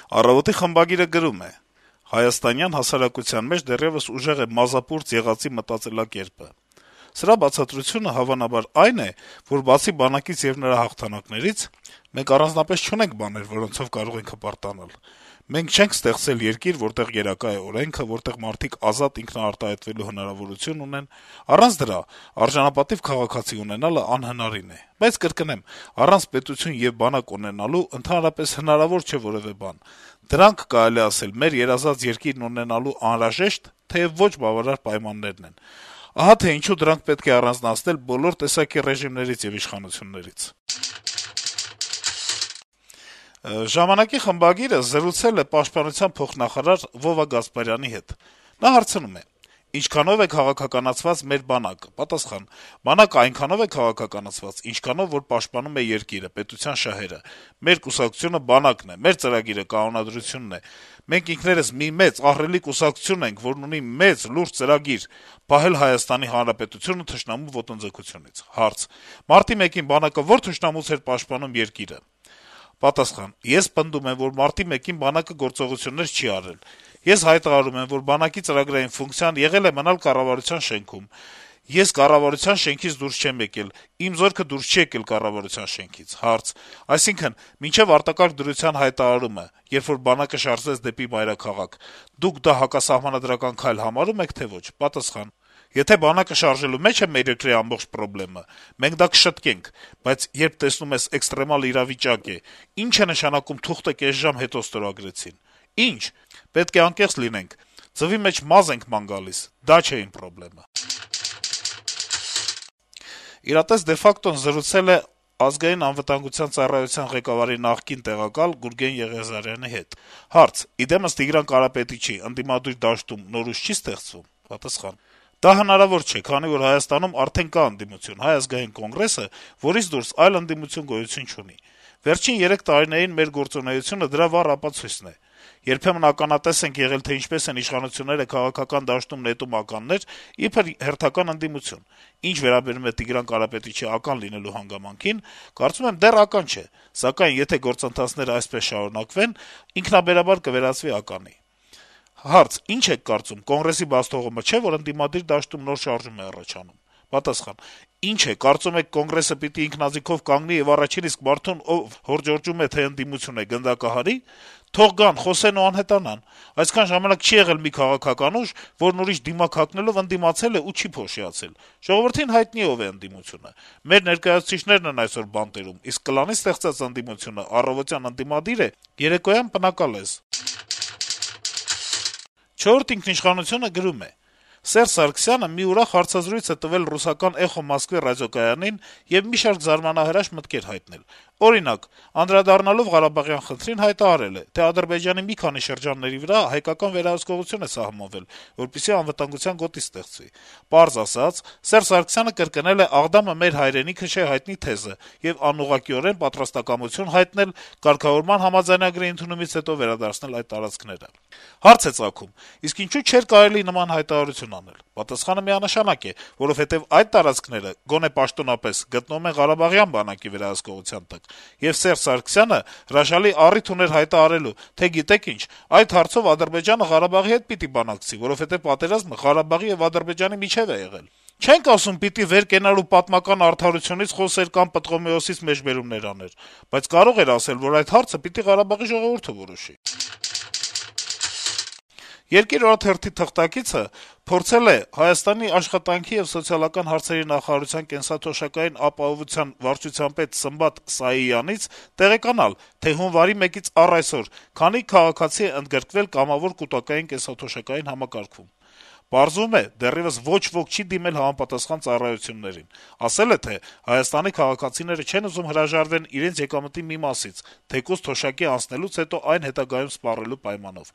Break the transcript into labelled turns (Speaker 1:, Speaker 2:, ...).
Speaker 1: Առավոտի խմբագիրը գրում է. - «Հայաստանյան հասարակության մեջ դեռեւս ուժեղ է մազապուրծ եղածի մտածելակերպը: Սրա բացատրությունը հավանաբար այն է, որ բացի բանակից եւ նրա հաղթանակներից, մենք առանձնապես չունենք բաներ, որոնցով կարող ենք հպարտանալ: Մենք չենք ստեղծել երկիր, որտեղ գերակա է օրենքը, որտեղ մարդիկ ազատ ինքնաարտահայտվելու հնարավորություն ունեն: Առանց դրա արժանապատիվ քաղաքացի ունենալը անհնարին է: Բայց կրկնեմ, առանց պետություն եւ բանակ ունենալու ընդհանրապես հնարավոր չէ որեւէ բան: Դրանք, կարելի է ասել, մեր երազած երկիրն ունենալու անհրաժեշտ, թեեւ ոչ բավարար պայմաններն են: Ահա թե ինչու դրանք պետք է առանձնացնել բոլոր տեսակի ռեժիմներից եւ իշխանություններից»: «Ժամանակ»-ի խմբագիրը զրուցել է պաշտպանության փոխնախարար Վովա Գասպարյանի հետ: Նա հարցնում է. - «Ինչքանո՞վ է քաղաքականացված մեր բանակը»: Պատասխան. - «Բանակը այնքանով է քաղաքականացված, ինչքանով որ պաշտպանում է երկիրը, պետության շահերը: Մեր կուսակցությունը բանակն է, մեր ծրագիրը կանոնադրությունն է: Մենք ինքներս մի մեծ, ահռելի կուսակցություն ենք, որն ունի մեծ, լուրջ ծրագիր՝ պահել Հայաստանի Հանրապետությունը թշնամու ոտնձգությունից»: Հարց. - «Մարտի 1-ին բանակը ո՞ր թշնամուց էր պաշտպանում երկիրը»: Պատասխան. - «Ես պնդում եմ, որ մարտի 1-ին բանակը գործողություններ չի արել: Ես հայտարարում եմ, որ բանակի ծրագրային ֆունկցիան եղել է մնալ կառավարության շենքում: Ես կառավարության շենքից դուրս չեմ եկել, իմ զորքը դուրս չի եկել կառավարության շենքից»: Հարց. - «Այսինքն` մինչեւ արտակարգ դրության հայտարարումը, երբ որ բանակը շարժվեց դեպի մայրաքաղաք, դուք դա հակասահմանադրական քայլ համարում եք, թե ոչ»: Պատասխան. - «Եթե բանակը շարժվելու մեջ է մեր երկրի ամբողջ պրոբլեմը, մենք դա կշտկենք, բայց երբ տեսնում ես էքստրեմալ իրավիճակ է, ի՞նչ է նշանակում թուղթը կես ժամ հետո ստորագրեցին: Ի՞նչ: Պետք է անկեղծ լինենք, ձվի մեջ մազ ենք ման գալիս: Դա չէ իմ պրոբլեմը»: «Իրատես de facto-ն» զրուցել է Ազգային անվտանգության ծառայության ղեկավարի նախկին տեղակալ Գուրգեն Եղիազարյանի հետ: Հարց. - «Իդեմս Տիգրան Կարապետիչի ընդդիմադիր դաշտում նոր ուժ չի ստեղծվում»: Պատասխան. - «Դա հնարավոր չէ, քանի որ Հայաստանում արդեն կա ընդդիմություն՝ Հայ ազգային կոնգրեսը, որից դուրս այլ ընդդիմություն գոյություն չունի: Վերջին 3 տարիներին մեր գործունեությունը դրա վառ ապացույցն է: Երբեմն ականատես ենք եղել, թե ինչպես են իշխանությունները քաղաքական դաշտում նետում ականներ, իբր հերթական ընդդիմություն: Ինչ վերաբերում է Տիգրան Կարապետիչի ական լինելու հանգամանքին, կարծում եմ դեռ ական չէ, սակայն եթե գործընթացները այսպես շարունակվեն, ինքնաբերաբար կվերածվի ականի»: Հարց. - «Ինչ եք կարծում, Կոնգրեսի բացթողումը չէ, որ ընդդիմադիր դաշտում նոր շարժում է առաջանում»: Պատասխան. - «Ինչ է, կարծում եք Կոնգրեսը պիտի ինքնաձիգով կանգնի եւ առաջին իսկ մարդուն, ով հորդորջում է, թե ընդդիմություն է, գնդակահարի: Թող գան, խոսեն ու անհետանան: Այսքան ժամանակ չի եղել մի քաղաքական ուժ, որն ուրիշ դիմակ հագնելով ընդդիմացել է ու չի փոշիացել: Ժողովրդին հայտնի է ով է ընդդիմությունը: Մեր ներկայացուցիչներն են այսօր բանտերում, իսկ կլանի ստեղծած ընդդիմությունը առավոտյան ընդդիմադիր է, երեկոյան պնակալեզ»: «Չորրորդ ինքնիշխանություն»-ը գրում է. - «Սերժ Սարգսյանը մի ուրախ հարցազրույց է տվել ռուսական «Էխո Մոսկվի» ռադիոկայանին եւ մի շարք զարմանահրաշ մտքեր հայտնել: Օրինակ, անդրադառնալով Ղարաբաղյան խնդրին հայտարարել է, թե Ադրբեջանի մի քանի շրջանների վրա հայկական վերահսկողություն է սահմանվել, որպեսզի անվտանգության գոտի ստեղծվի: Պարզ ասած, Սերժ Սարգսյանը կրկնել է «Աղդամը մեր հայրենիքը չէ» հայտնի թեզը եւ անուղղակիորեն պատրաստակամություն հայտնել կարգավորման համաձայնագրի ընդունումից հետո վերադարձնել այդ տարածքները: Հարց է ծագում. իսկ ինչո՞ւ չէր կարելի նման հայտարարություն անել: Պատասխանը միանշանակ է, որովհետեւ այդ տարածքները, գոնե պաշտոնապես, գտնվում են Ղարաբաղյան բանակի վերահսկողության տակ, եւ Սերժ Սարգսյանը հրաշալի առիթ ուներ հայտարարելու, թե գիտեք ինչ, այդ հարցով Ադրբեջանը Ղարաբաղի հետ պիտի բանակցի, որովհետեւ պատերազմը Ղարաբաղի եւ Ադրբեջանի միջեւ է եղել: Չենք ասում պիտի վեր կենալ ու պատմական արդարությունից խոսեր կամ Պտղոմեոսից մեջբերումներ աներ, բայց կարող էր ասել, որ այդ հարցը պիտի Ղարաբաղի ժողովուրդը որոշի»: «Երկիր» օրաթերթի թղթակիցը փորձել է Հայաստանի աշխատանքի եւ սոցիալական հարցերի նախարարության կենսաթոշակային ապահովության վարչության պետ Սմբատ Սայիյանից տեղեկանալ, թե հունվարի 1-ից առ այսօր քանի քաղաքացի է ընդգրկվել կամավոր կուտակային կենսաթոշակային համակարգում: Պարզվում է, դեռեւս ոչ ոք չի դիմել համապատասխան ծառայություններին: Ասել է, թե Հայաստանի քաղաքացիները չեն ուզում հրաժարվեն իրենց եկամտի մի մասից, թեկուզ թոշակի անցնելուց հետո այն հետագայում սպառելու պայմանով: